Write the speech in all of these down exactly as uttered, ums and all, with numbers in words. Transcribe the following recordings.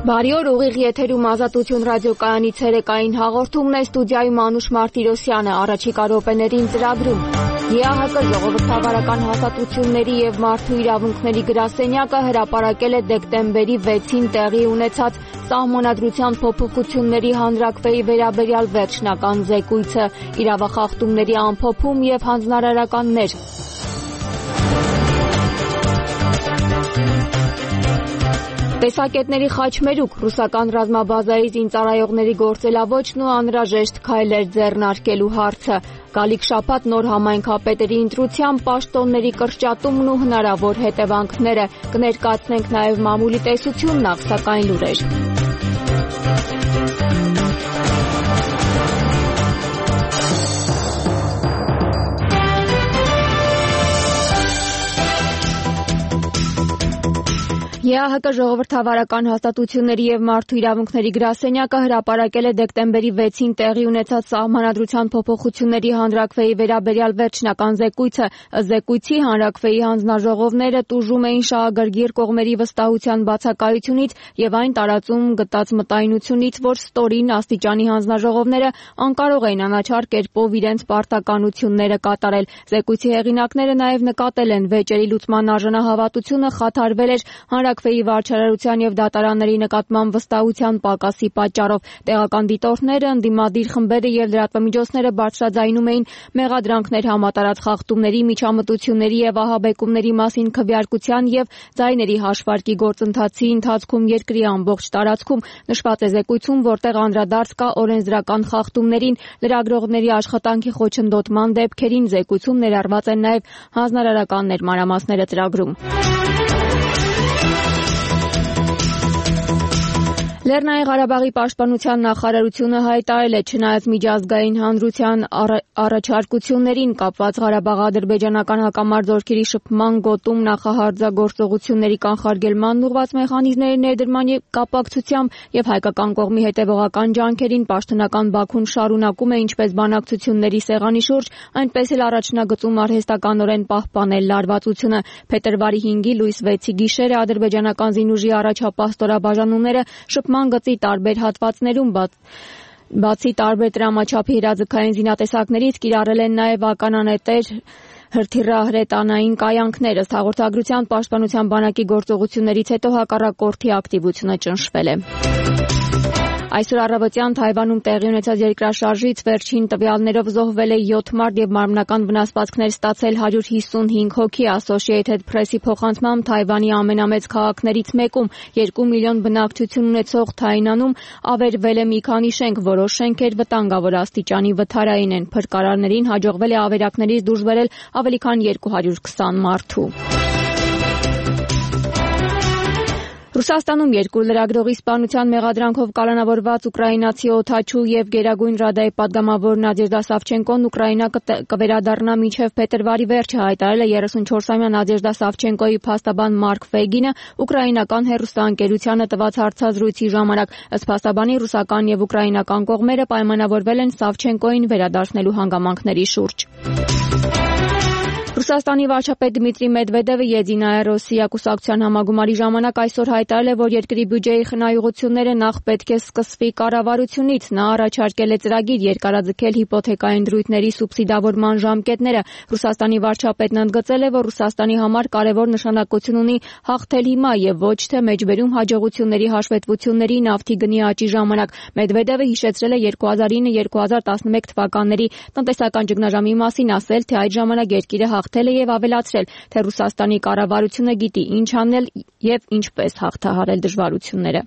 Բարի օր, ուղիղ եթերում Ազատություն ռադիոկայանի ցերեկային հաղորդումն է, ստուդիայում Անուշ Մարտիրոսյանը, առաջիկա րոպեներին ծրագրում։ ԵԱՀԿ ժողովրդավարական հաստատությունների եւ մարդու իրավունքների գրասենյակը հրապարակել է դեկտեմբերի վեցին տեղի ունեցած Սահմանադրության փոփոխությունների հանրաքվեի վերաբերյալ վերջնական զեկույցը, իրավախախտումների ամփոփում եւ հանձնարարականներ։ Տեսակետների խաչմերուկ, ռուսական ռազմաբազայի զինծառայողների գործելավոճն ու անհրաժեշտ քայլեր ձեռնարկելու հարցը, գալիք շաբաթ նոր համայնքապետերի ընտրությամբ պաշտոնների կրճատումն ու հնարավոր հետևանքները, կներկայացնենք նաև մամուլի տեսություն, նախ սակայն լուրեր։ ԵԱՀԿ ժողովրդավարական հաստատությունների եւ մարդու իրավունքների գրասենյակը հրապարակել է դեկտեմբերի վեցին տեղի ունեցած Սահմանադրության փոփոխությունների հանրաքվեի վերաբերյալ վերջնական զեկույցը։ Ըստ զեկույցի հանրաքվեի հանձնաժողովները տուժում էին շահագրգիռ կողմերի վստահության բացակայությունից եւ այն տարածում գտած մտայնությունից, որ ստորին աստիճանի հանձնաժողովները անկարող էին անաչառ կերպով իրենց պարտականությունները կատարել։ Զեկույցի հեղինակները նաեւ նկատել են վեճերի լուծման արժանահավատությունը խաթարվել էր հանրաքվեի վարչարարության եւ դատարանների նկատմամբ վստահության պակասի պատճառով։ Տեղական դիտորդները, ընդդիմադիր խմբերը եւ լրատվամիջոցները բարձրաձայնում էին մեղադրանքներ համատարած խախտումների, միջամտությունների եւ ահաբեկումների մասին քվեարկության եւ ձայների հաշվարկի գործընթացի ընթացքում երկրի ամբողջ տարածքում, նշված է զեկույցում, որտեղ անդրադարձ կա օրենսդրական խախտումներին, լրագրողների աշխատանքի խոչընդոտման դեպքերին։ Զեկույցում ներառված են նաեւ հանձնարարականներ, մանրամասները ծրագրում։ Լեռնային Ղարաբաղի պաշտպանության նախարարությունը հայտարարել է, չնայած միջազգային հանրության առաջարկություններին կապված Ղարաբաղ-ադրբեջանական հակամարտ զորքերի շփման գոտում նախահարձագործողությունների կանխարգելման ուղղված մեխանիզմների ներդրման կապակցությամբ եւ հայկական կողմի հետեւողական ջանքերին պաշտոնական Բաքուն շարունակում է ինչպես բանակցությունների սեղանի շուրջ, այնպես էլ առաջնագծում արհեստականորեն պահպանել լարվածությունը։ Փետրվարի հինգի լույս վեցի գիշերը ադրբեջանական զինուժի առաջապահ ստորաբաժանումները շփման գծի տարբեր հատվածներում բացի տարբեր տրամաչափի հրաձգային զինատեսակներից կիրառել են նաև ականանետեր, հրթիռահրետանային կայանքներ։ Ըստ հաղորդագրության պաշտպանության բանակի գործողություններից հետո հակառակորդի ակտիվությունը ճնշվել է։ Այսօր առավոտյան Թայվանում տեղի ունեցած երկրաշարժից վերջին տվյալներով զոհվել է յոթ մարդ եւ մարմնական վնասվածքներ ստացել հարյուր հիսունհինգ հոգի։ Associated Press-ի փոխանցմամբ Թայվանի ամենամեծ քաղաքներից մեկում երկու միլիոն բնակչություն ունեցող Թայնանում ավերվել է մի քանի շենք, որոշ շենքեր վտանգավոր աստիճանի վթարային են։ Փրկարարներին հաջողվել է ավերակներից դուրս բերել ավելի քան երկու հարյուր քսան մարդու։ Ռուսաստանում երկու լրագրողի սպանության մեղադրանքով կալանավորված ուկրաինացի օդաչու եւ Գերագույն ռադայի պատգամավոր Նադեժդա Սավչենկոն Ուկրաինա կվերադառնա մինչեւ փետրվարի վերջը, հայտարարել է երեսունչորսամյա Նադեժդա Սավչենկոյի փաստաբան Մարկ Ֆեգինը ուկրաինական հեռուստաընկերությանը տված հարցազրույցի ժամանակ։ Ըստ փաստաբանի, ռուսական եւ ուկրաինական կողմերը պայմանավորվել են Սավչենկոյին վերադարձնելու հանգամանքների շուրջ։ Ռուսաստանի վարչապետ Դմիտրի Մեդվեդևը Եդինայա Ռոսիա կուսակցության համագումարի ժամանակ այսօր հայտարարել է, որ երկրի բյուջեի խնայողությունները նախ պետք է սկսվի կառավարությունից։ Նա առաջարկել է ծրագիր երկարաձգել հիպոթեկային դրույթների սուբսիդավորման ժամկետները։ Ռուսաստանի վարչապետն ընդգծել է, որ Ռուսաստանի համար կարևոր նշանակություն ունի հաղթել հիմա եւ ոչ թե մեջբերում հաջողությունների հաշվետվությունների նավթի գնի աճի ժամանակ։ Մեդվեդևը հիշեցրել է երկու հազար ինը երկու հազար տասնմեկ թվականների տնտեսական ճգնաժամի մասին, ասել, թե այդ ժամանակ երկիրը հաղթել է եւ ավելացրել, թե Ռուսաստանի կառավարությունը գիտի ինչ անել եւ ինչպես հաղթահարել դժվարությունները։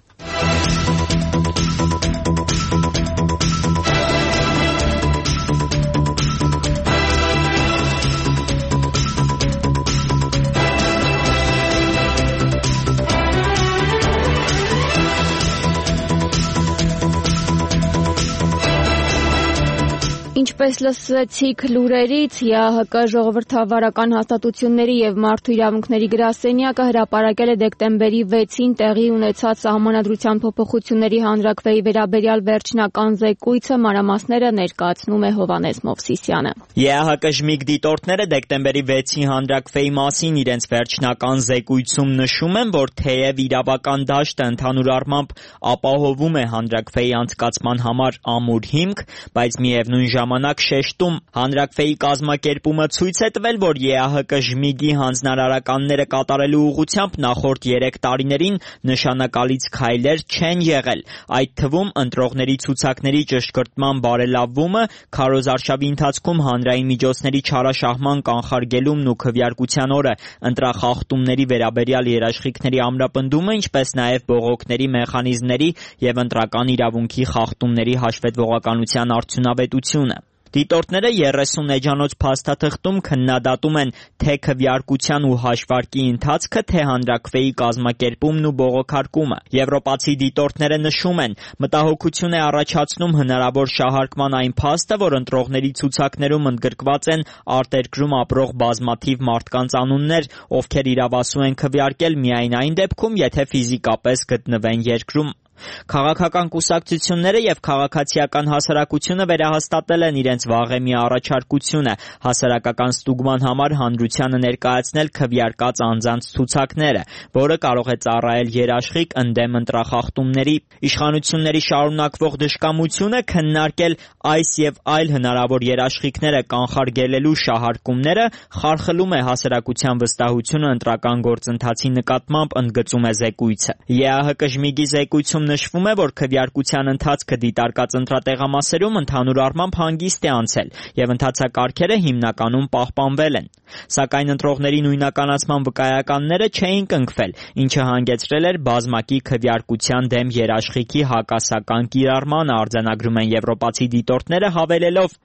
Ինչպես լսեցիք լուրերից, ԵԱՀԿ ժողովրդավարական հաստատությունների եւ մարդու իրավունքների գրասենյակը հրապարակել է դեկտեմբերի վեցին տեղի ունեցած սահմանադրության փոփոխությունների հանրաքվեի վերաբերյալ վերջնական զեկույցը, մանրամասները ներկայացնում է Հովհաննես Մովսիսյանը։ ԵԱՀԿ ժմիկ դիտորդները դեկտեմբերի վեցի հանրաքվեի մասին իրենց վերջնական զեկույցում նշում են, որ թեև իրավական դաշտը ընդհանուր առմամբ ապահովում է հանրաքվեի անցկացման համար ամուր հիմք, բայց միևնույն ժամանակ շեշտում հանրաքվեի կազմակերպումը ցույց է տվել, որ ԵԱՀԿ ժմիգի հանձնարարականները կատարելու ուղղությամբ նախորդ երեք տարիներին նշանակալից քայլեր չեն եղել, այդ թվում ընտրողների ցուցակների ճշգրտման բարելավումը, քարոզարշավի ընթացքում հանրային միջոցների չարաշահման կանխարգելումն ու քվեարկության օրը ընտրախախտումների վերաբերյալ երաշխիքների ամրապնդումը, ինչպես նաև բողոքների մեխանիզմների և ընտրական իրավունքի խախտումների հաշվետվողականության արդյունավետությունը։ Դիտորդները երեսուն էջանոց փաստաթղթում քննադատում են թե քվեարկության ու հաշվարկի ընթացքը, թե հանրաքվեի կազմակերպումն ու բողոքարկումը։ Եվրոպացի դիտորդները նշում են, մտահոգություն է առաջացնում հնարավոր շահարկման այն փաստը, որ ընտրողների ցուցակներում ընդգրկված են արտերկրում ապրող բազմաթիվ մարդկանց անուններ, ովքեր իրավասու են քվեարկել միայն այն դեպքում, եթե ֆիզիկապես գտնվեն երկրում։ Քաղաքական կուսակցությունները և քաղաքացիական հասարակությունը վերահաստատել են իրենց վաղեմի առաջարկությունը հասարակական ստուգման համար հանրությանը ներկայացնել քվեարկած անձանց ցուցակները, որը կարող է ծառայել երաշխիք ընդդեմ ընտրախախտումների։ Իշխանությունների շարունակվող դժկամությունը քննարկել այս և այլ հնարավոր երաշխիքները կանխարգելելու շահարկումները խարխլում է հասարակության վստահությունը ընտրական գործընթացի նկատմամբ, ընդգծում է զեկույցը։ ԵԱՀԿ ժմիգի զեկույցում նշվում է, որ քվեարկության ընթացքը դիտարկած ընտրատեղամասերում ընդհանուր առմամբ հանգիստ է անցել և ընթացակարգերը հիմնականում պահպանվել են։ Սակայն ընտրողների նույնականացման վկայականները չէին կնքվել, ինչը հանգեցրել էր բազմակի քվեարկության դեմ երաշխիքի հակասական կիրառմանը, արձանագրում են եվրոպացի դիտորդները, հավելելով.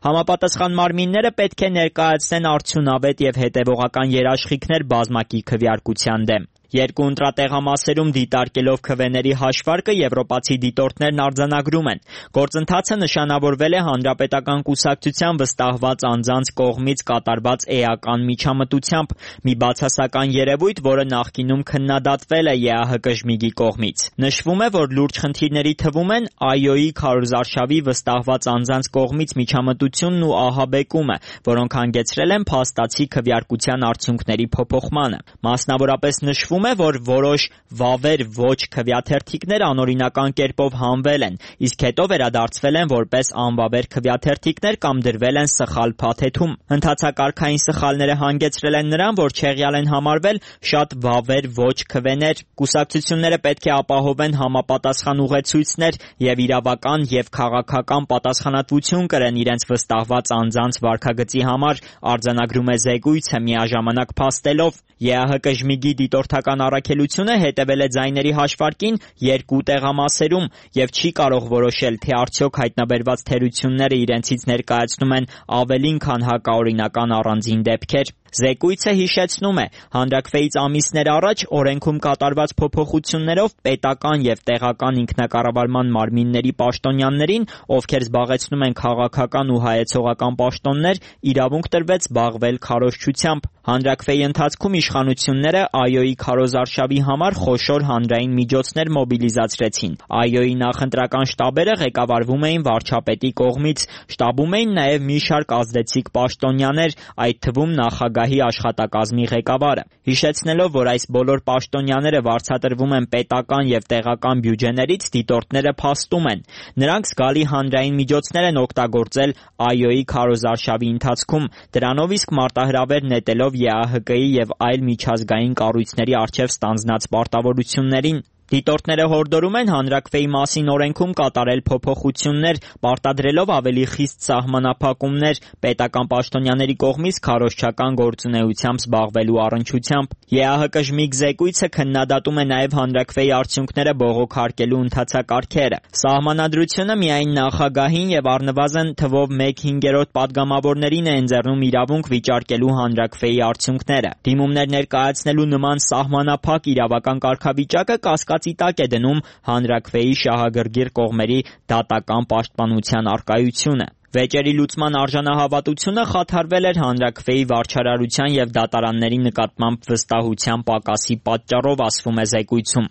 համապատասխան մարմինները պետք է ներկայացնեն արդյունավետ և հետևողական երաշխիքներ բազմակի քվեարկության դեմ։ Երկու ընտրատեղամասերում դիտարկելով քվեների հաշվարկը եվրոպացի դիտորդներն արձանագրում են. գործընթացը նշանավորվել է հանրապետական կուսակցության վստահված անձանց կողմից կատարված էական միջամտությամբ, մի բացասական երևույթ, որը նախկինում քննադատվել է ԵԱՀԿ ժմիգի կողմից։ Նշվում է, որ լուրջ խնդիրների թվում են ԱՅՈ-ի քարոզարշավի վստահված անձանց կողմից միջամտությունն ու ահաբեկումը, որոնք հանգեցրել են փաստացի քվեարկության արդյունքների փոփոխմանը։ Մասնավորապես նշվում է, որ որոշ վավեր ոչ քվեաթերթիկներ անօրինական կերպով հանվել են, իսկ հետո վերադարձվել են որպես անվավեր քվեաթերթիկներ կամ դրվել են սխալ փաթեթում։ Ընթացակարգային սխալները հանգեցրել են նրան, որ չեղյալ են համարվել շատ վավեր ոչ քվեներ։ Կուսակցությունները պետք է ապահովեն համապատասխան ուղեցույցներ և իրավական և քաղաքական պատասխանատվություն կրեն իրենց վստահված անձանց վարքագծի համար, արձանագրում է զեկույցը, միաժամանակ փաստելով. ԵԱՀԿ ժմիգի դիտորդական առաքելությունը հետևել է ձայների հաշվարկին երկու տեղամասերում և չի կարող որոշել, թե արդյոք հայտնաբերված թերությունները իրենցից ներկայացնում են ավելին, քան հակաօրինական առանձին դեպքեր։ Զեկույցը հիշեցնում է, հանրաքվեից ամիսներ առաջ օրենքում կատարված փոփոխություններով պետական և տեղական ինքնակառավարման մարմինների պաշտոնյաներին, ովքեր զբաղեցնում են քաղաքական ու հայեցողական պաշտոններ, իրավունք տրվեց զբաղվել քարոզչությամբ։ Հանրաքվեի ընթացքում իշխանությունները ԱՅՈ-ի քարոզարշավի համար խոշոր հանրային միջոցներ մոբիլիզացրեցին։ ԱՅՈ-ի նախընտրական շտաբերը ղեկավարվում էին վարչապետի կողմից, շտաբում էին նաև մի շարք ազդեցիկ պաշտոնյաներ, այդ թվում նախագահի աշխատակազմի ղեկավարը։ Հիշեցնելով, որ այս բոլոր պաշտոնյաները վարձատրվում են պետական և տեղական բյուջեներից, դիտորդները փաստում են. նրանք զգալի հանրային միջոցներ են օգտագործել ԱՅՈ-ի քարոզարշավի ընթացքում, դրանով իսկ մարտահրավեր նետելով ԵԱՀԿ-ի և այլ միջազգային կառույցների առջև ստանձնած պարտավորություններին։ Դիտորդները հորդորում են հանրաքվեի մասին օրենքում կատարել փոփոխություններ, պարտադրելով ավելի խիստ սահմանափակումներ պետական պաշտոնյաների կողմից քարոզչական գործունեությամբ զբաղվելու առնչությամբ։ ԵԱՀԿ ժմիգ զեկույցը քննադատում է նաև հանրաքվեի արդյունքները բողոքարկելու ընթացակարգերը։ Սահմանադրությունը միայն նախագահին և առնվազն թվով մեկ հինգերորդ պատգամավորներին է ընձեռում իրավունք վիճարկելու հանրաքվեի արդյունքները։ Դիմումներ ներկայացնելու նման սահմանափակ իրավական կարգավիճակը կասկածի տակ է դնում հանրաքվեի շահագրգիռ կողմերի դատական պաշտպանության առկայությունը։ Վեճերի լուծման արժանահավատությունը խաթարվել էր հանրաքվեի վարչարարության և դատարանների նկատմամբ վստահության պակասի պատճառով, ասվում է զեկույցում։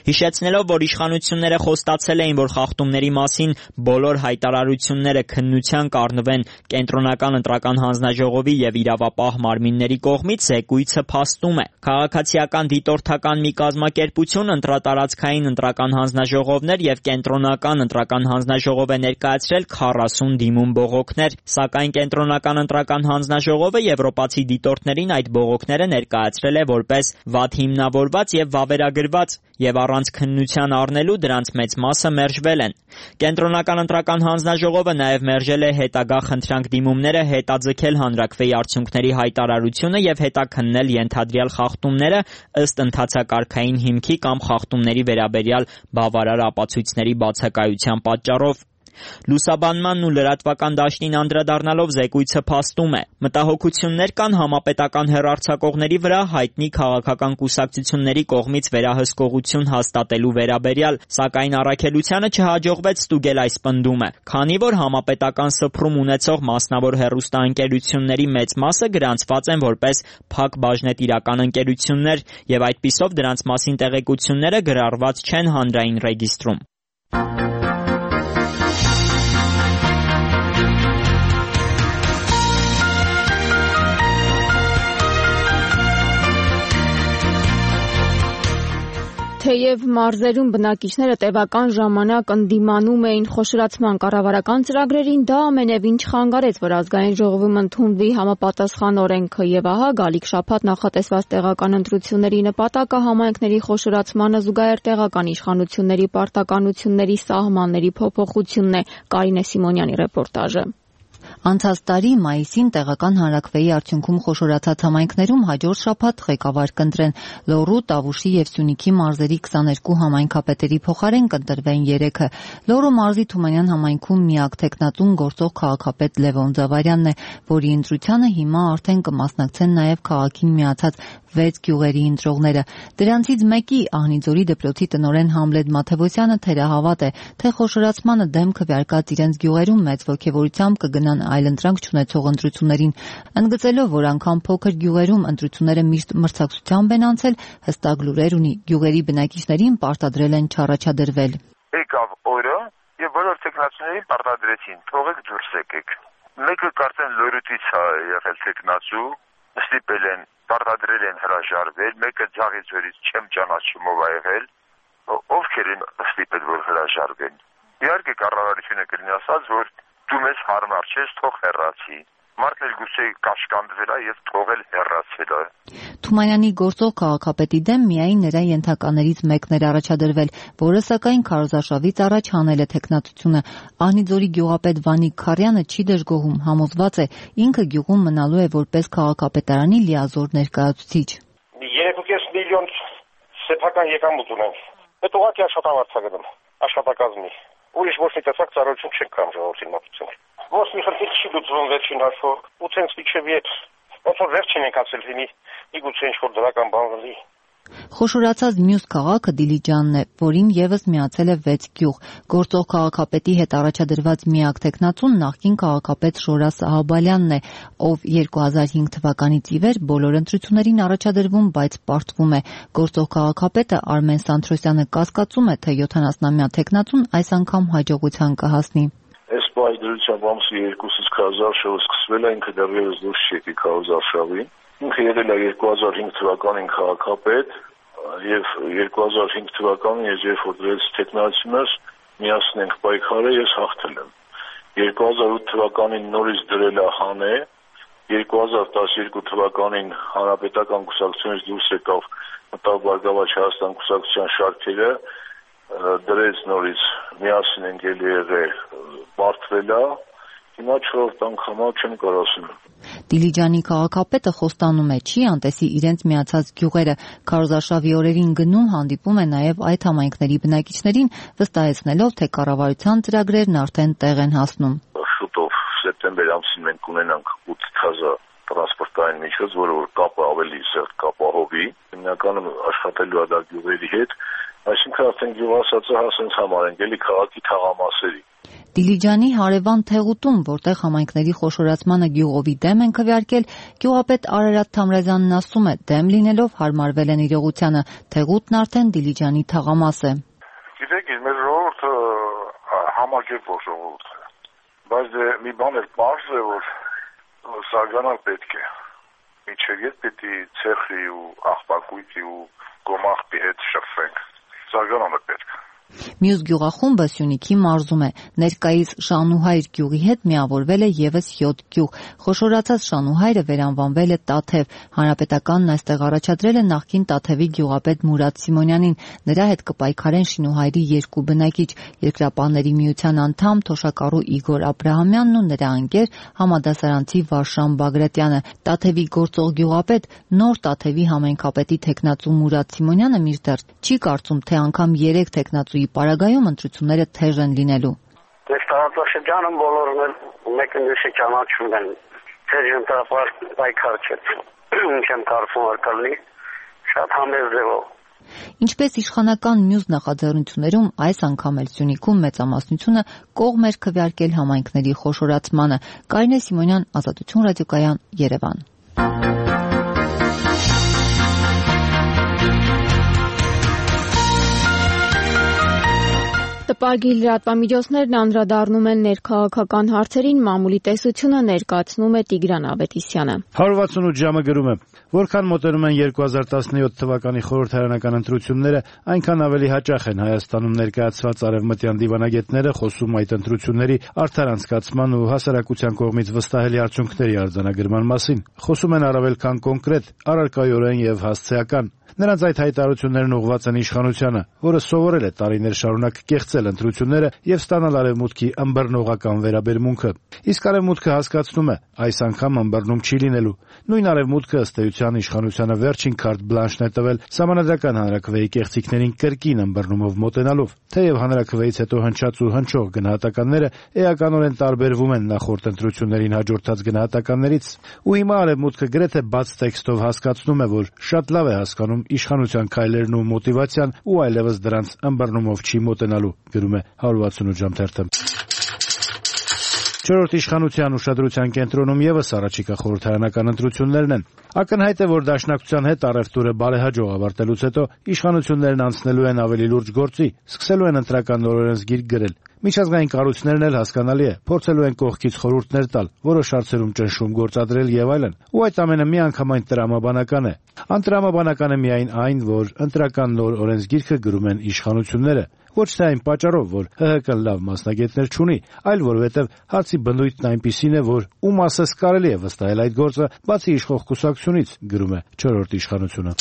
Հիշեցնելով, որ իշխանությունները խոստացել էին, որ խախտումների մասին բոլոր հայտարարությունները քննության կառնվեն Կենտրոնական ընտրական հանձնաժողովի և իրավապահ մարմինների կողմից, զեկույցը փաստում է։ Քաղաքացիական դիտորդական մի կազմակերպություն ընտրատարածքային ընտրական հանձնաժողովներ և Կենտրոնական ընտրական հանձնաժողով է ներկայացրել քառասուն դիմում բողոքներ, սակայն Կենտրոնական ընտրական հանձնաժողովը եվրոպացի դիտորդներին այդ բողոքները ներկայացրել է որպես վատ հիմնավորված և վավերագրված և առանց քննության առնելու դրանց մեծ մասը մերժվել են։ Կենտրոնական ընտրական հանձնաժողովը նաև մերժել է հետագա խնդրանք-դիմումները հետաձգել հանրաքվեի արդյունքների հայտարարությունը և հետաքննել ենթադրյալ խախտումները ըստ ընթացակարգային հիմքի կամ խախտումների վերաբերյալ բավարար ապացույցների բացակայության պատճառով։ Լուսաբանմանն ու լրատվական դաշտին անդրադառնալով զեկույցը փաստում է. մտահոգություններ կան համապետական հեռարձակողների վրա հայտնի քաղաքական կուսակցությունների կողմից վերահսկողություն հաստատելու վերաբերյալ, սակայն առաքելությանը չհաջողվեց ստուգել այս պնդումը, քանի որ համապետական սփռում ունեցող մասնավոր հեռուստաընկերությունների մեծ մասը գրանցված են որպես փակ բաժնետիրական ընկերություններ և այդպիսով դրանց մասին տեղեկությունները գրառված չեն հանրային ռեգիստրում։ Թեև մարզերում բնակիչները տևական ժամանակ ընդդիմանում էին խոշորացման կառավարական ծրագրերին, դա ամենևին չխանգարեց, որ ազգային ժողովում ընդունվի համապատասխան օրենքը, եւ ահա գալիք շաբաթ նախատեսված տեղական ընտրությունների նպատակը համայնքների խոշորացմանը զուգահեռ տեղական իշխանությունների պարտականությունների սահմանների փոփոխությունն է։ Կարինե Սիմոնյանի ռեպորտաժը։ Անցած տարի մայիսին տեղական հանրաքվեի արդյունքում խոշորացած համայնքներում հաջորդ շաբաթ ղեկավար կընտրեն Լոռու, Տավուշի և Սյունիքի մարզերի քսաներկու համայնքապետերի փոխարեն կընտրվեն երեքը։ Լոռու մարզի Թումանյան համայնքում միակ թեկնածուն գործող քաղաքապետ Լևոն Ձավարյանն է, որի ընտրությանը հիմա արդեն կմասնակցեն նաև քաղաքին միացած վեց գյուղերի ընտրողները։ Դրանցից մեկի Ահնիձորի դպրոցի տնօրեն Համլետ Մաթևոսյանը թերահավատ է, թե խոշորացմանը դեմ քվեարկած իրենց գյուղերում մեծ ոգևորությամբ կգնան այլընտրանք չունեցող ընտրություններին, ընդգծելով, որ անգամ փոքր գյուղերում ընտրությունները միշտ մրցակցությամբ են անցել, հստակ լուրեր ունի, գյուղերի բնակիչներին պարտադրել են չառաջադրվել։ Եկավ օրը եւ բոլոր տեխնացուներին պարտադրեցին, թողեք դուրս եկեք։ Մեկը կարծեն լորուտից է եղել տեխնացու, ստիպել են, պարտադրել են հրաժարվել, մեկը Ձաղից օրից չեմ ճանաչում ով ա եղել, ովքեր են ստիպել որ հրաժարվեն։ Իհարկե կառավարությունը կլինի ասած, որ դու մեզ հարմար չես, թող հեռացի։ Մարդն էլ գուցե կաշկանդվել է եւ թողել հեռացել է։ Թումանյանի գործող քաղաքապետի դեմ միայն նրա ենթականերից մեկն էր առաջադրվել, որը սակայն քարոզարշավից առաջ հանել է թեկնածությունը։ Ահնիձորի գյուղապետ Վանիկ Քարյանը չի դժգոհում, համոզված է, ինքը գյուղում մնալու է որպես քաղաքապետարանի լիազոր ներկայացուցիչ։ երեք կես միլիոն սեփական եկամուտ ունենք։ Այդ ուղղակի աշխատավարձ է գնում, աշխատակազմի։ Ուրիշ ոչ մի տեսակ ծառայություն չենք կամ ժողովրդին մատուցել։ Ոչ մի խնդիր չի լուծվում վերջին հաշվով։ Ու ցենց իջև իդ ոնց որ վերջին ենք ասել լինի, իգուցե ինչ-որ դրական բան լինի։ Խոշորացած մյուս քաղաքը Դիլիջանն է, որին եւս միացել է վեց գյուղ։ Գործող քաղաքապետի հետ առաջադրված միակ տեխնացուն նախկին քաղաքապետ Շորա Սահաբալյանն է, ով երկու հազար հինգ թվականից ի վեր բոլոր ընտրություններին առաջադրվում, բայց պարտվում է։ Գործող քաղաքապետը Արմեն Սանթրոսյանը կասկածում է, թե յոթանասնամյա տեխնացուն այս անգամ հաջողության կհասնի։ Այս պահի դրությամբ ամսի երկուսից քարոզարշավը սկսվել է, ինքը դեռևս դուրս չեկի քարոզարշավին։ Ինքը եղել է երկու հազար հինգ թվականին քաղաքապետ եւ երկու հազար հինգ թվականին ես երբ որ դրեց տեխնացիաս միասին ենք պայքարել, ես հաղթել եմ։ երկու հազար ութ թվականին նորից դրել է հանե, երկու հազար տասներկու թվականին հանրապետական կուսակցությունից դուրս եկավ մտավ Բարգավաճ Հայաստան կուսակցության շարքերը, դրեց նորից միասին ենք ելի եղել, բարդվել է, հիմա չորրորդ անգամա չեմ կարող ասել։ Դիլիջանի քաղաքապետը խոստանում է, չի անտեսի իրենց միացած գյուղերը, քարոզարշավի օրերին գնում հանդիպում է նաև այդ համայնքների բնակիչներին, վստահեցնելով, թե կառավարության ծրագրերն արդեն տեղ են հասնում։ Շուտով սեպտեմբեր ամսին մենք կունենանք ութ թազա տրանսպորտային միջոց, որը որ կապը ավելի սերտ կապահովի, հիմնականում աշխատելու է դա գյուղերի հետ, այսինքն արդեն գյուղասացը հասենց համար ենք, էլի քաղաքի թաղամասերի։ Դիլիջանի հարևան Թեղուտում, որտեղ համայնքների խոշորացմանը գյուղովի դեմ են քվեարկել, գյուղապետ Արարատ Թամրազյանն ասում է, դեմ լինելով հարմարվել են իրողությանը, Թեղուտն արդեն Դիլիջանի թաղամաս է։ Գիտեք, մեր ժողովուրդը համակերպող ժողովուրդ է, բայց դե մի բան էլ պարզ է, որ զարգանալ պետք է, միջև ետ պետք է ցեխի ու աղբակույտի ու գոմաղբի հետ շփվենք, զարգանալը պետք է։ Մյուս գյուղախումբը Սյունիքի մարզում է, ներկայիս Շանուհայր գյուղի հետ միավորվել է ևս յոթ գյուղ, խոշորացած Շանուհայրը վերանվանվել է Տաթև, հանրապետականն այստեղ առաջադրել է նախկին Տաթևի գյուղապետ Մուրադ Սիմոնյանին, նրա հետ կպայքարեն Շինուհայրի երկու բնակիչ, Երկրապահների միության անդամ թոշակառու Իգոր Աբրահամյանն ու նրա ընկեր համադասարանցի Վարշան Բագրատյանը, Տաթևի գործող գյուղապետ, նոր Տաթևի համայնքապետի թեկնածու Մուրադ Սիմոնյանը մինչդեռ չի կարծում, թե անգամ երեք թեկնածուի պարագայում ընտրությունները թեժ են լինելու։ Մեր տարածաշրջանում բոլորն էլ մեկը մյուսի ճանաչում են, թեժ ընտրապար պայքար չէ, ինչ եմ կարծում որ կլինի, շատ համեզ ձևով։ Ինչպես իշխանական մյուս նախաձեռնություններում, այս անգամ էլ Սյունիքում մեծամասնությունը կողմ էր քվեարկել համայնքների խոշորացմանը։ Կարինե Սիմոնյան, Ազատություն ռադիոկայան, Երևան։ Տպագիր լրատվամիջոցներն անդրադառնում են ներքաղաքական հարցերին, մամուլի տեսությունը ներկայացնում է Տիգրան Ավետիսյանը։ հարյուր վաթսունութ ժամը գրում է. Որքան մոտենում են երկու հազար տասնյոթ թվականի խորհրդարանական ընտրությունները, այնքան ավելի հաճախ են Հայաստանում ներկայացված արևմտյան դիվանագետները խոսում այդ ընտրությունների արդար անցկացման ու հասարակության կողմից վստահելի արդյունքների արձանագրման մասին։ Խոսում են առավել քան կոնկրետ, առարկայորեն եւ հասցեական։ Նրանց այդ հայտարարություններն ուղղված են իշխանությանը, որը սովորել է տարիներ շարունակ կեղծել ընտրությունները եւ ստանալ արևմուտքի ըմբռնողական վերաբերմունքը։ Իսկ արևմուտքը հասկացնում է, այս անգամ ըմբռնում չի լինելու։ Նույն արևմուտքը ըստ էության իշխանությանը վերջին քարտ բլանշն է տվել Սահմանադրական հանրաքվեի կեղծիքներին կրկին ըմբռնումով մոտենալով։ Թեև հանրաքվեից հետո հնչած ու հնչող գնահատականները էականորեն տարբերվում են նախորդ ընտրություններին հաջորդած գնահատականներից, ու հիմա արևմուտքը գրեթե բաց տեքստով հասկացնում է, որ շատ լավ է հասկանում իշխանության քայլերն ու մոտիվացիան ու այլևս դրանց ըմբռնումով չի մոտենալու, գրում է հարյուր վաթսունութ ժամ թերթը։ Չորրորդ իշխանության ուշադրության կենտրոնում ևս առաջիկա խորհրդարանական ընտրություններն են։ Ակնհայտ է, որ դաշնակցության հետ առևտուրը բարեհաջող ավարտելուց հետո իշխանություններն անցնելու են ավելի լուրջ գործի, սկսելու են ընտրական նոր օրենսգիր գրել։ Միջազգային կառույցներն էլ հասկանալի է, փորձելու են կողքից խորհուրդներ տալ, որոշ հարցերում ճնշում գործադրել եւ այլն։ Ու այդ ամենը միանգամայն տրամաբանական է։ Անտրամաբանական է միայն այն, որ ընտրական նոր օրենսգիրքը գրում են իշխանությունները, ոչ թե այն պատճառով, որ ՀՀԿ լավ մասնագետներ չունի, այլ որովհետև հարցի բնույթն այնպիսին է, որ ում ասես կարելի է վստահել այդ գործը, բացի իշխող կուսակցությունից, գրում է չորրորդ իշխանությունը։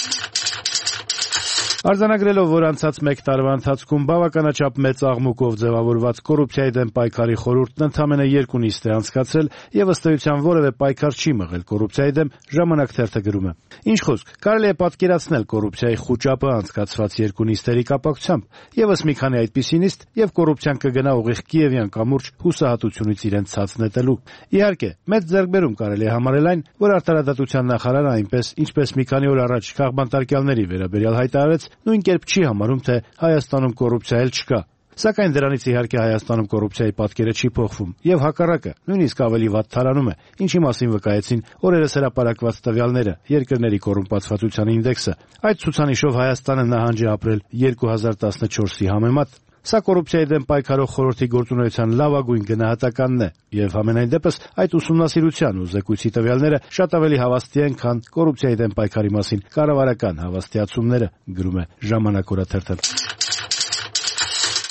Արձանագրելով, որ անցած մեկ տարվա ընթացքում բավականաչափ մեծ աղմուկով ձևավորված կոռուպցիայի դեմ պայքարի խորհուրդն ընդամենը երկու նիստ է անցկացրել եւ ըստ էության որևէ պայքար չի մղել կոռուպցիայի դեմ, Ժամանակ թերթը գրում է. Ինչ խոսք, կարելի է պատկերացնել կոռուպցիայի խուճապը անցկացված երկու նիստերի կապակցությամբ, եւս մի քանի այդպիսի նիստ եւ կոռուպցիան կգնա ուղիղ Կիևյան կամուրջ հուսահատությունից իրեն ցած նետելու։ Իհարկե, մեծ ձեռքբերում կարելի է համարել այն, որ արտարադատության նախարարը այնպես, ինչպես մի քանի օր առաջ քաղբանտարկյալների վերաբերյալ հայտարարեց, նույն կերպ չի համարում, թե Հայաստանում կոռուպցիա էլ չկա։ Սակայն դրանից իհարկե Հայաստանում կոռուպցիայի պատկերը չի փոխվում, եւ հակառակը, նույնիսկ ավելի վատ թարանում է, ինչի մասին վկայեցին օրերս հրապարակված տվյալները, երկրների կոռումպացվածության ինդեքսը։ Այդ ցուցանիշով Հայաստանը նահանջ է ապրել երկու հազար տասնչորսի համեմատ։ Սա կոռուպցիայի դեմ պայքարող խորհրդի գործունեության լավագույն գնահատականն է, եւ համենայն դեպս այդ ուսումնասիրության ու զեկույցի տվյալները շատ ավելի հավաստի են, քան կոռուպցիայի դեմ պայքարի մասին կառավարական հավաստիացումները, գրում է Ժամանակ օրաթերթը։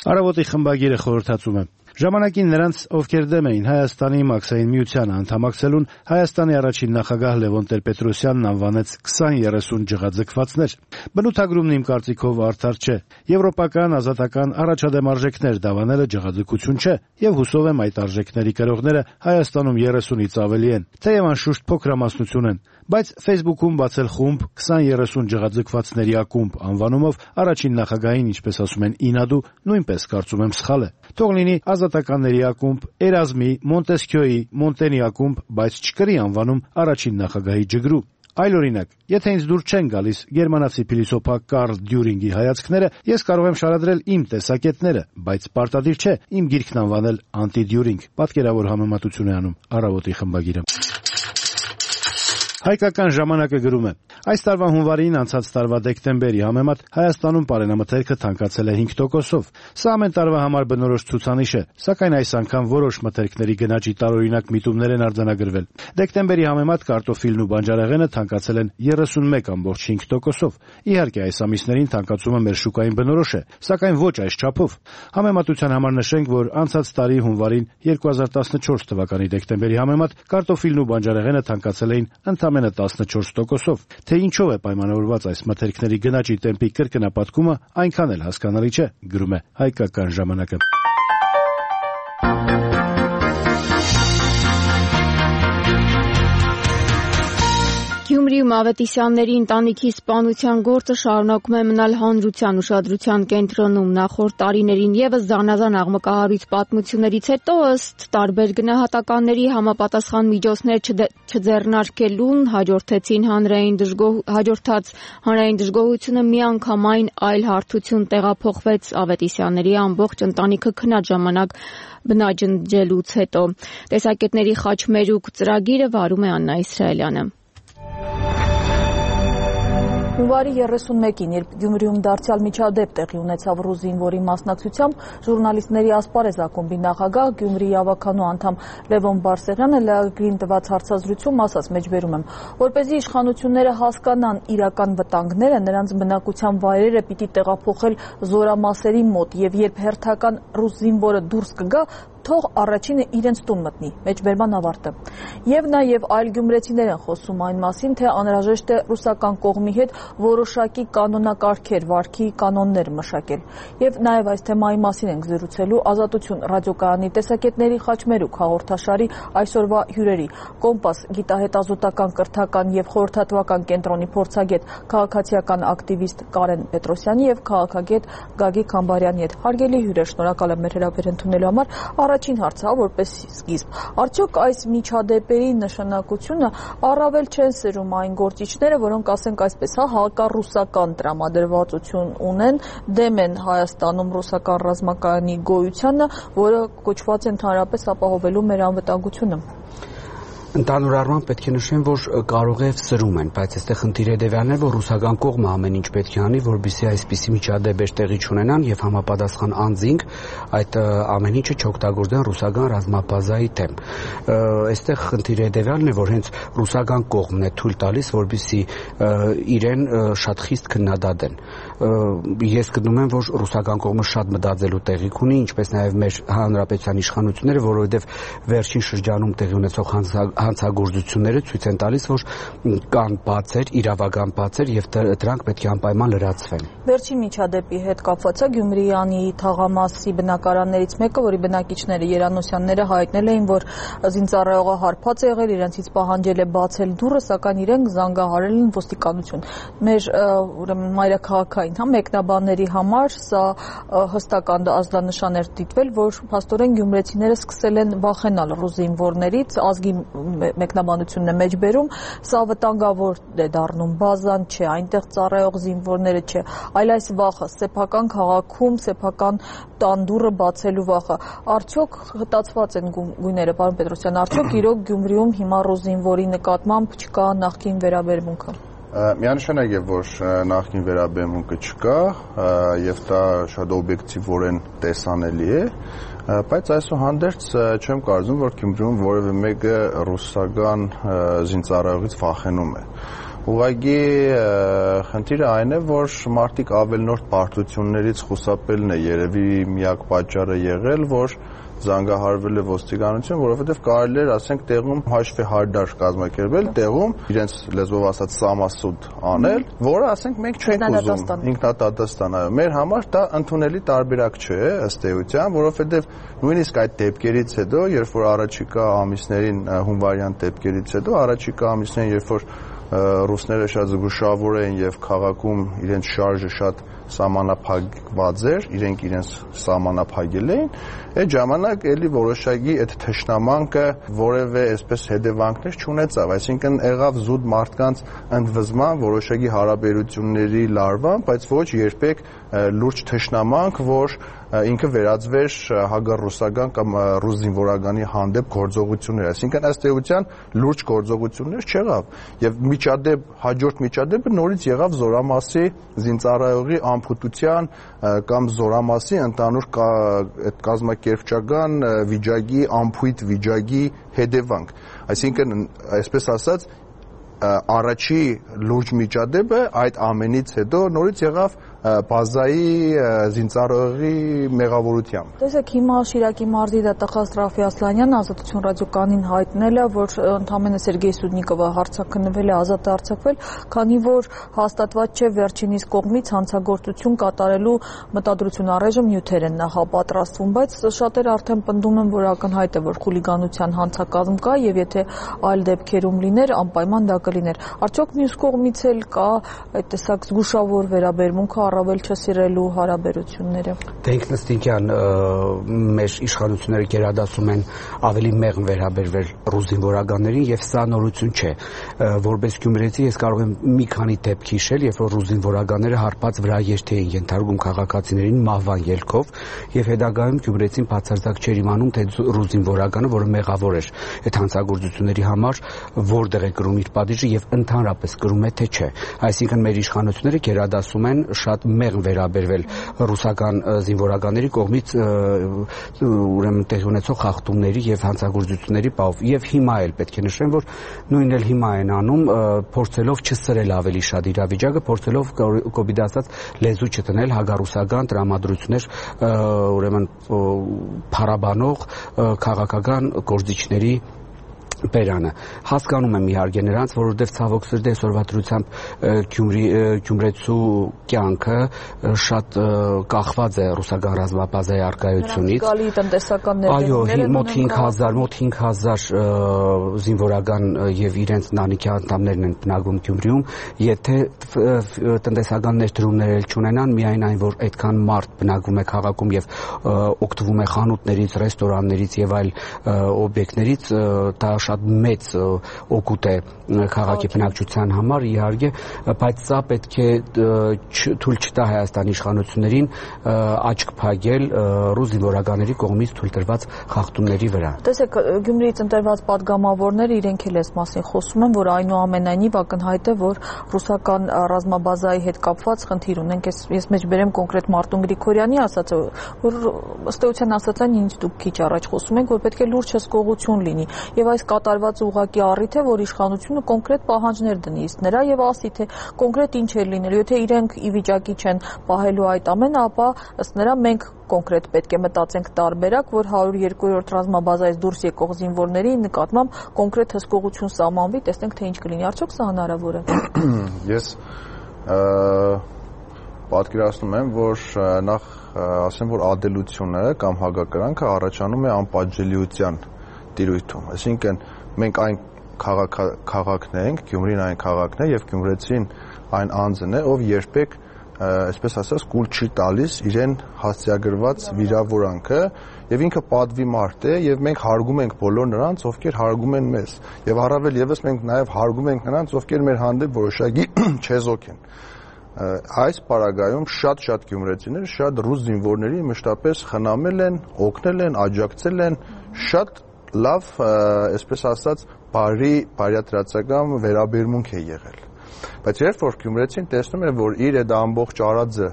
Առավոտի խմբագիրը խորհրդածում է. Ժամանակին նրանց, ովքեր դեմ էին Հայաստանի մաքսային միությանը անդամակցելուն, Հայաստանի առաջին նախագահ Լևոն Տեր-Պետրոսյանն անվանեց քսան երեսուն ջղաձգվածներ։ Բնութագրումն իմ կարծիքով արդար չէ։ Եվրոպական, ազատական առաջադեմ արժեքներ դավանելը ջղաձգություն չէ, եւ հուսով եմ այդ արժեքների կրողները Հայաստանում երեսունից ավելի են, թեև անշուշտ փոքրամասնություն են, բայց Facebook-ում բացել խումբ քսան երեսուն ջղաձգվածների ակումբ անվանումով առաջին նախագահին, ինչպես ասում են, ինադու, նույնպես կարծում եմ սխալ է։ Թող լինի ազատականների ակումբ, Էրազմի, Մոնտեսքյոյի, Մոնտենի ակումբ, բայց չկրի անվանում առաջին նախագահի ջգրու։ Այլ օրինակ, եթե ինձ դուր չեն գալիս գերմանացի փիլիսոփա Կարլ Դյուրինգի հայացքները, ես կարող եմ շարադրել իմ տեսակետները, բայց պարտադիր չէ իմ գիրքն անվանել անտի-Դյուրինգ, պատկերավոր համեմատություն է անում Առավոտի խմբագիրը։ Հայկական ժամանակը գրում է. այս տարվա հունվարին անցած տարվա դեկտեմբերի համեմատ Հայաստանում պարենամթերքը թանկացել է հինգ տոկոսով։ Սա ամեն տարվա համար բնորոշ ցուցանիշ է, սակայն այս անգամ որոշ մթերքների գնաճի տարօրինակ միտումներ են արձանագրվել։ Դեկտեմբերի համեմատ կարտոֆիլն ու բանջարեղենը թանկացել են երեսունմեկ կόμμα հինգ տոկոսով։ Իհարկե, այս ամիսներին թանկացումը մեր շուկային բնորոշ է, սակայն ոչ այս չափով։ Համեմատության համար նշենք, որ անցած տարի հունվարին երկու հազար տասնչորս թվականի դեկտեմբերի համեմատ կարտոֆիլն ու բանջարեղենը թանկացել էին ընդամենը տասնչորս տոկոսով։ Թե ինչով է պայմանավորված այս մթերքների գնաճի տեմպի կրկնապատկումը, այնքան էլ հասկանալի չէ, գրում է Հայկական ժամանակը։ Գյումրիում Ավետիսյանների ընտանիքի սպանության գործը շարունակում է մնալ հանրության ուշադրության կենտրոնում։ Նախորդ տարիներին ևս զանազան աղմկահարույց պատմություններից հետո ըստ տարբեր գնահատականների համապատասխան միջոցներ չձեռնարկելուն հաջորդեցին հանրային հաջորդած հանրային դժգոհությունը միանգամայն այլ հարթություն տեղափոխվեց Ավետիսյանների ամբողջ ընտանիքը քնած ժամանակ բնաջնջելուց հետո։ Տեսակետների խաչմերուկ ծրագիրը վարում է Աննա Իսրայելյանը։ Հունվարի երեսունմեկին, երբ Գյումրիում դարձյալ միջադեպ տեղի ունեցավ ռուս զինվորի մասնակցությամբ, ժուրնալիստների ասպարեզ ակումբի նախագահ Գյումրիի ավականու անդամ Լևոն Բարսեղյանը լրագրին տված հարցազրույցում ասաց, մեջբերում եմ, որպեսզի իշխանությունները հասկանան իրական վտանգները, նրանց բնակության վայրերը պիտի տեղափոխել զորամասերի մոտ, եւ երբ հերթական ռուս զինվորը դուրս կգա, թող առաջինը իրենց տուն մտնի, մեջբերման ավարտը։ Եվ նաև այլ գյումրեցիներ են խոսում այն մասին, թե անհրաժեշտ է ռուսական կողմի հետ որոշակի կանոնակարգեր, վարքի կանոններ մշակել։ Եվ նաև այս թեմայի մասին ենք զրուցելու Ազատություն ռադիոկայանի տեսակետների խաչմերուկ հաղորդաշարի այսօրվա հյուրերի՝ Կոմպաս գիտահետազոտական կրթական եւ խորհրդատվական կենտրոնի փորձագետ, քաղաքացիական ակտիվիստ Կարեն Պետրոսյանի եւ քաղաքագետ Գագիկ Համբարյանի հետ։ Հարգելի հյուրեր, շնորհակալ եմ մեր հրավեր ընդունելու համար։ Առաջին հարցը, որպես սկիզբ, արդյոք այս միջադեպերի նշանակությունը առավել չեն սերում այն գործիչները, որոնք, ասենք այսպես, հա, հակառուսական տրամադրվածություն ունեն, դեմ են Հայաստանում ռուսական ռազմակայանի գոյությանը, որը կոչված է ընդհանրապես ապահովելու մեր անվտանգությունը։ Ընդհանուր առմամբ պետք է նշեմ, որ կարող է սրում են, բայց այստեղ խնդիրը դեպիալն է, որ ռուսական կողմը ամեն ինչ պետք է անի, որպեսզի այսպիսի միջադեպեր տեղի չունենան եւ համապատասխան անձինք այդ ամեն ինչը չօգտագործեն ռուսական ռազմաբազայի դեմ։ Այստեղ խնդիրը դեպիալն է, որ հենց ռուսական կողմն է թույլ տալիս, որպեսզի իրեն շատ խիստ քննադատեն։ Ես գտնում եմ, որ ռուսական կողմը շատ մտածելու տեղիք ունի, ինչպես նաեւ մեր հանրապետության իշխանությունները, որովհետեւ վերջին շրջանում տեղի ունեցող հանցագործությունները ցույց են տալիս, որ կան բացեր, իրավական բացեր եւ դրանք պետք է անպայման լրացվեն։ Վերջին միջադեպի հետ կապված է Գյումրիանի թաղամասի բնակարաններից մեկը, որի բնակիչները Երանոսյանները հայտնել էին, որ զինծառայողը հարբած է եղել, իրենցից պահանջել է բացել դուռը, սակայն իրենք զանգահարել են ոստիկանություն։ Մեր ուրեմն մայրաքաղաքային, հա, մեկնաբանների համար սա հստակ ազդանշան էր դիտվել, որ փաստորեն գյումրեցիները սկսել են վախենալ ռուս զինվորներից, ազգի մեկնաբանությունն է մեջբերում, սա վտանգավոր է դառնում, բազան չէ, այնտեղ ծառայող զինվորները չէ, այլ այս վախը, սեփական քաղաքում, սեփական տանդուռը բացելու վախը։ Արդյոք հտացված են գույները, պարոն Պետրոսյան, արդյոք իրոք Գյումրիում հիմա ռուս զինվորի նկատմամբ չկա նախկին վերաբերմունքը։ Միանշանակ է, որ նախկին վերաբերմունքը չկա եւ դա շատ օբյեկտիվորեն տեսանելի է, բայց այսուհանդերձ չեմ կարծում, որ Գյումրիում որևէ մեկը ռուսական զինծառայողից վախենում է։ Ուղղակի խնդիրը այն է, որ մարդիկ ավելնորդ պարտություններից խուսափելն է երևի միակ պատճառը եղել, որ զանգահարվել է ոստիկանություն, որովհետև կարելի էր, ասենք, տեղում հաշվի հարդար կազմակերպել, տեղում իրենց լեզվով ասած սամասուդ անել, որը, ասենք, մենք չենք ուզում, ինքնատատաստան, այո, մեր համար դա ընդունելի տարբերակ չէ, ըստ էության, որովհետև նույնիսկ այդ դեպքերից հետո, երբ որ առաջիկա ամիսներին հունվարյան դեպքերից հետո, առաջիկա ամիսներին, երբ որ ռուսները շատ զգուշավոր էին եւ քաղաքում իրենց շարժը շատ սահմանափակված էր, իրենք իրենց սահմանափակել էին, այդ ժամանակ էլի որոշակի այդ թշնամանկը որևէ այսպես հետևանքներ չունեցավ, այսինքն եղավ զուտ մարդկանց ընդվզման, որոշակի հարաբերությունների լարման, բայց ոչ երբեք լուրջ թշնամանք, որ ինքը վերածվեր հակառուսական կամ ռուս զինվորականի հանդեպ գործողություններ, այսինքն ըստ էության լուրջ գործողություններ չեղավ եւ միջադեպ հաջորդ միջադեպը նորից եղավ Զորամասի զինծառայողի ամփոփության կամ Զորամասի ընդհանուր այդ կազմակերպչական վիճակի ամփույթ վիճակի հետևանք, այսինքն այսպես ասած առաջի լուրջ միջադեպը այդ ամենից հետո նորից եղավ բազայի զինծառայողի մեղավորությամբ։ Տեսեք, հիմա Շիրակի մարզի դատախազ Ռաֆի Ասլանյանն Ազատություն ռադիոկայանին հայտնել է, որ ընդամենը Սերգեյ Սուդնիկովը հարցաքննվել է, ազատ է արձակվել, քանի որ հաստատված չէ վերջինիս կողմից հանցագործություն կատարելու մտադրություն առայժմ նյութեր են նախապատրաստվում, բայց շատերը արդեն պնդում են, որ ակնհայտ է, որ խուլիգանության հանցակազմ կա եւ եթե այլ դեպքերում լիներ, անպայման դա կլիներ։ Արդյոք մյուս կողմից էլ կա այդ տեսակ զգուշավոր վերաբերմունքը առավել չսիրելու հարաբերությունները։ Դե ինքնըստինքյան մեր իշխանությունները գերադասում են ավելի մեղմ վերաբերվել ռուս զինվորականներին եւ սա նորություն չէ։ Որպես գյումրեցի ես կարող եմ մի քանի դեպք հիշել, երբ որ ռուս զինվորականները հարբած վրա երթի էին ենթարկում քաղաքացիներին մահվան ելքով եւ հետագայում գյումրեցին բացարձակ չէր իմանում, թե ռուս զինվորականը, որը մեղավոր էր այդ հանցագործությունների համար, որտեղ է կրում իր պատիժը եւ ընդհանրապես կրում է թե չէ։ Այսինքն մեր իշխանությունները գերադասում են շատ մեղմ վերաբերվել ռուսական զինվորականների կողմից ուրեմն տեղի ունեցող խախտումների եւ հանցագործությունների պահով եւ հիմա էլ պետք է նշեմ, որ նույնն էլ հիմա են անում, փորձելով չսրել ավելի շատ իրավիճակը, փորձելով կոպիտ ասած լեզու չտնել հագարուսական տրամադրություններ ուրեմն փառաբանող քաղաքական գործիչների բերանը։ Հասկանում եմ իհարկե նրանց, որովհետև ցավոք սրտի այսօրվա դրությամբ Գյումրի Գյումրեցու կյանքը շատ կախված է ռուսական ռազմաբազայի առկայությունից։ Գալի տնտեսական ներդրումները մոտ հինգ հազար մոտ հինգ հազար զինվորական եւ իրենց ընտանիքի անդամներն են բնակվում Գյումրիում, եթե տնտեսական ներդրումներ էլ չունենան, միայն այն, որ այդքան մարդ բնակվում է քաղաքում եւ օգտվում է խանութներից, ռեստորաններից եւ այլ օբյեկտներից, դա շատ մեծ օգուտ է քաղաքի բնակչության համար, իհարկե, բայց սա պետք է թույլ չտա Հայաստանի իշխանություններին աչք փակել ռուս զինվորականների կողմից թույլ տրված խախտումների վրա։ Տեսեք, Գյումրիից ընտրված падգամավորները իրենք էլ այս մասին խոսում են, որ այնուամենայնիվ ակնհայտ է, որ ռուսական ռազմաբազայի հետ կապված խնդիր ունենք։ Ես մեջ բերեմ կոնկրետ Մարտուն Գրիգորյանի ասածը, որ ըստ էության ասած այն, ինչ դուք քիչ առաջ խոսում եք, որ պետք է լուրջ հսկողություն լինի։ Եվ այս կատարված ուղղակի առիթ է, որ իշխանությունը կոնկրետ պահանջներ դնի իսկ նրա եւ ասի, թե կոնկրետ ինչ է լինելու, եթե իրենք ի վիճակի չեն պահելու այդ ամենը, ապա ըստ նրա մենք կոնկրետ պետք է մտածենք տարբերակ, որ հարյուր երկրորդ ռազմաբազայից դուրս եկող զինվորների նկատմամբ կոնկրետ հսկողություն սահմանվի, տեսնենք թե ինչ կլինի, արդյոք սա հնարավոր է։ Ես պատկերացնում եմ, որ նախ ասեմ, որ ադելությունը կամ հակակրանքը առաջանում է անպատժելիության տիրույթում, այսինքն մենք այն քաղաքն ենք, Գյումրին այն քաղաքն է եւ գյումրեցին այն անձն է, ով երբեք այսպես ասած կուլ չի տալիս իրեն հասցեագրված վիրավորանքը եւ ինքը պատվի մարդ է եւ մենք հարգում ենք բոլոր նրանց, ովքեր հարգում են մեզ եւ առավել եւս մենք նաեւ հարգում ենք նրանց, ովքեր մեր հանդեպ որոշակի չեզոք են։ Այս պարագայում շատ-շատ գյումրեցիներ շատ ռուս զինվորների մշտապես խնամել են, օգնել են, աջակցել են, շատ լավ, այսպես ասած, բարի բարյատրացական վերաբերմունք է եղել։ Բայց երբ որ գյումրեցին տեսնում է, որ իր այդ ամբողջ արածը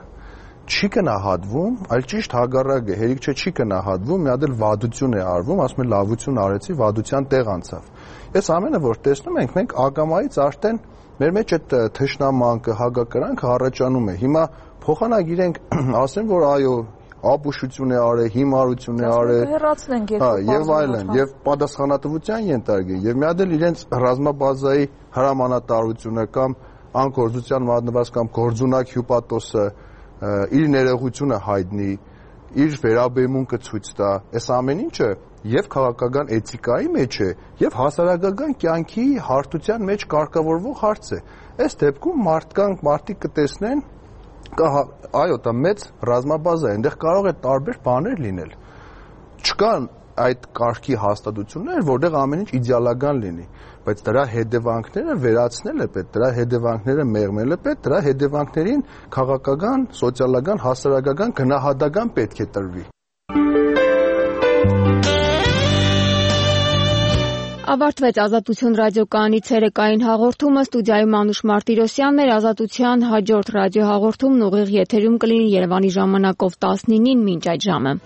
չի գնահատվում, այլ ճիշտ հակառակը, հերիք չէ չի գնահատվում, մի հատ էլ վադություն է արվում, ասում են լավություն արեցի, վադության տեղ անցավ։ Այս ամենը որ տեսնում ենք, մենք ակամայից արդեն մեր մեջ այդ թշնամանքը, հակակրանքը առաջանում է։ Հիմա փոխանակ իրենք ասեն, որ այո, ապուշություն է արել, հիմարություն է արել, եւ այլն, եւ պատասխանատվության ենթարկել, եւ մի հատ էլ իրենց ռազմաբազայի հրամանատարությունը կամ անկորձության մատնված կամ գործունակ հյուպատոսը իր ներողությունը հայտնի, իր վերաբերմունքը ցույց տա։ Այս ամեն ինչը եւ քաղաքական էթիկայի մեջ է եւ հասարակական կյանքի հարթության մեջ կարգավորվող հարց է։ Այս դեպքում մարդկանք մարդիկ կտեսնեն կա այո, դա մեծ ռազմաբազա է, այնտեղ կարող է տարբեր բաներ լինել։ Չկան այդ կարգի հաստատություններ, որտեղ ամեն ինչ իդեալական լինի, բայց դրա հետևանքները վերացնել է պետք, դրա հետևանքները մեղմել է պետք, դրա հետևանքներին քաղաքական, սոցիալական, հասարակական գնահատական պետք է տրվի։ Ավարտվեց Ազատություն ռադիոկայանի ցերեկային հաղորդումը, ստուդիայում Անուշ Մարտիրոսյանն էր, Ազատության հաջորդ ռադիոհաղորդումն ուղիղ եթերում կլինի Երևանի ժամանակով տասնինին մինչ այդ ժամը։